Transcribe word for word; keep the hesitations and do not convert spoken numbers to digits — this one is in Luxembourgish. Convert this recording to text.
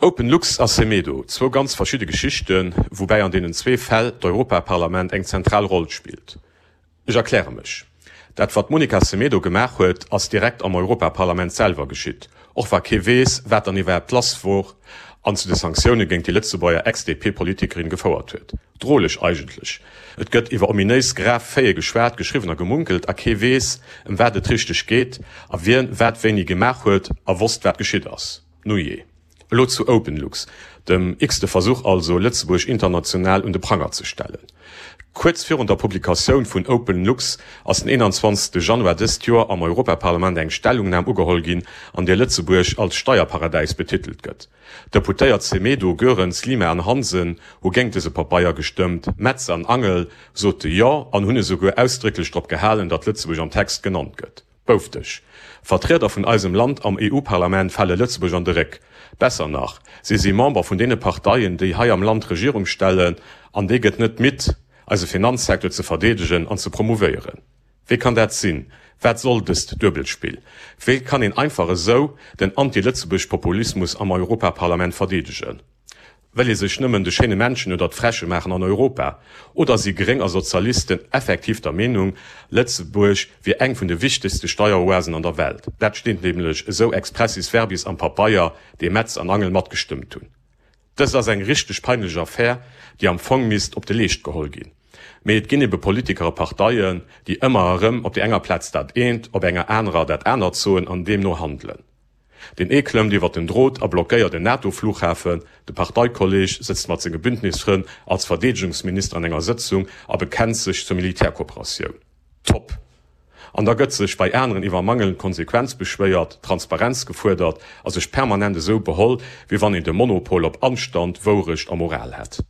OpenLux a Semedo, zwou ganz verschidde Geschichten, woubäi an deenen zwee Fäll d'Europaparlament eng zentral Roll spillt. Ech erkläre mech. Dat wat d'Monica Semedo gemaach huet, ass direkt am Europaparlament selwer geschitt, och wa kee weess, wat dann iwwerhaapt lass wor, an zu de Sanktioune géint déi Lëtzebuerger Ex-D P-Politikerin gefouert huet. Droleg eigentlech. Et gëtt iwwer ominéis grav Faite geschwat, geschriwwen a gemunkelt a kee weess, ëm wat et richteg geet a wien wat wéini gemaach huet a wosst, wat geschitt ass. Nujee. Elo zu OpenLux, dem x-te Versuch also, Lëtzebuerg international un de Pranger ze stellen. Kuerz virun der Publikatioun vun OpenLux ass den eenanzwanzegste Januar dëst Joer am Europaparlament eng Stellungnam ugeholl ginn, an där Lëtzebuerg als Steierparadäis betitelt gëtt. D'Deputéiert Semedo, Goerens, Lima an Hansen hu géint dëse Pabeier gestëmmt, Metz an Angel sote Jo an hunn esouguer ausdrécklech drop gehalen, datt Lëtzebuerg am Text genannt gëtt. Boufteg. Vertrieder vun eisem Land am E U-Parlament fale Lëtzebuerg an de Réck. Besser nach, si si Member vun deene Parteien, déi hei am Land d'Regierung stellen, an déi gëtt net midd, eise Finanzsecteur ze verdeedegen an ze promouvéieren. Wéi kann dat sinn? Wat soll dëst Duebelspill? Wéi kann een einfach esou den Anti-Lëtzebuerg-Populismus am Europaparlament verdeedegen? Wëll ee sech nëmmen de schéine Männchen oder d'Fräche maachen an Europa? Oder si Gréng a Sozialisten effektiv der Meenung, Lëtzebuerg wier eng vun de wichtegste Steieroasen an der Welt? Dat steet nämlech esou expressis verbis am Pabeier, dee Metz an Angel matgestëmmt hunn. Dëst ass eng richteg peinlech Affär, déi am Fong misst op de Leescht geholl ginn. Mee et ginn ebe Politiker a Parteien, déi ëmmer erëm op där enger Plaz dat eent, op enger anerer dat anert soen an deemno handelen. Deen ee klëmmt iwwer den Drot a blockéiert en NATO-Flughafen, de Parteikolleeg sëtzt mat senge Bündnisfrënn als Verdeedegungsminister an enger Sëtzung a bekennt sech zur Militärkooperatioun. Top! An da gëtt sech bei aneren iwwer mangelnd Konsequenz beschwéiert, Transparenz gefuerdert a sech permanent esou beholl, wéi wann een de Monopol op Anstand, Wourecht a Moral hätt.